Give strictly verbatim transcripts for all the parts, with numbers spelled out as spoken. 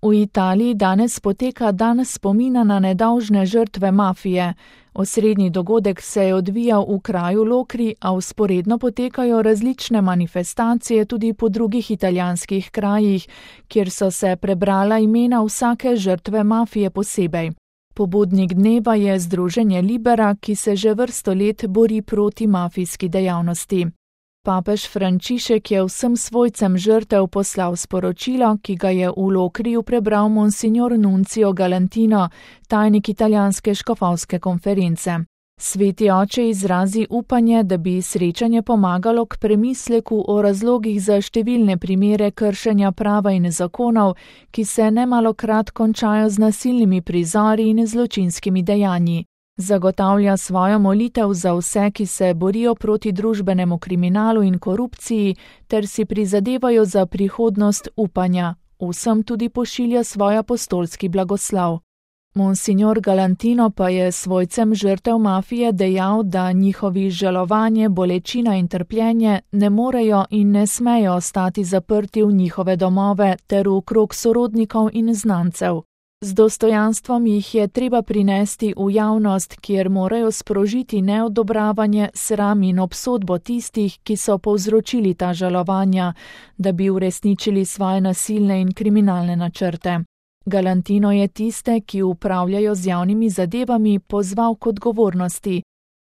V Italiji danes poteka dan spomina na nedolžne žrtve mafije. Osrednji dogodek se je odvijal v kraju Lokri, a vzporedno potekajo različne manifestacije tudi po drugih italijanskih krajih, kjer so se prebrala imena vsake žrtve mafije posebej. Pobudnik dneva je združenje Libera, ki se že vrsto let bori proti mafijski dejavnosti. Papež Frančišek je vsem svojcem žrtev poslal sporočilo, ki ga je v Lokriju prebral monsignor Nuncio Galantino, tajnik italijanske škofovske konference. Sveti oče izrazi upanje, da bi srečanje pomagalo k premisleku o razlogih za številne primere kršenja prava in zakonov, ki se nemalokrat končajo z nasilnimi prizori in zločinskimi dejanji. Zagotavlja svojo molitev za vse, ki se borijo proti družbenemu kriminalu in korupciji, ter si prizadevajo za prihodnost upanja. Vsem tudi pošilja svoj apostolski blagoslov. Monsignor Galantino pa je svojcem žrtev mafije dejal, da njihovi žalovanje, bolečina in trpljenje ne morejo in ne smejo ostati zaprti v njihove domove ter v krog sorodnikov in znancev. Z dostojanstvom jih je treba prinesti v javnost, kjer morajo sprožiti neodobravanje, sram in obsodbo tistih, ki so povzročili ta žalovanja, da bi uresničili svoje nasilne in kriminalne načrte. Galantino je tiste, ki upravljajo z javnimi zadevami, pozval k odgovornosti.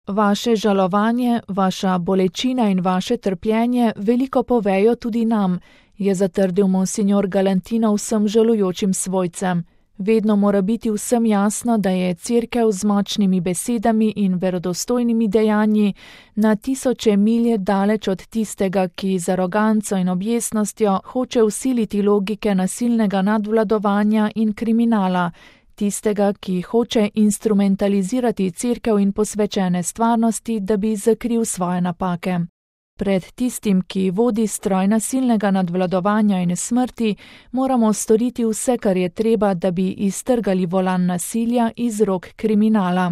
Vaše žalovanje, vaša bolečina in vaše trpljenje veliko povejo tudi nam, je zatrdil monsignor Galantino vsem žalujočim svojcem. Vedno mora biti vsem jasno, da je Cerkev z močnimi besedami in verodostojnimi dejanji na tisoče milje daleč od tistega, ki z aroganco in objesnostjo hoče vsiliti logike nasilnega nadvladovanja in kriminala, tistega, ki hoče instrumentalizirati Cerkev in posvečene stvarnosti, da bi zakril svoje napake. Pred tistim, ki vodi stroj nasilnega nadvladovanja in smrti, moramo storiti vse, kar je treba, da bi iztrgali volan nasilja iz rok kriminala.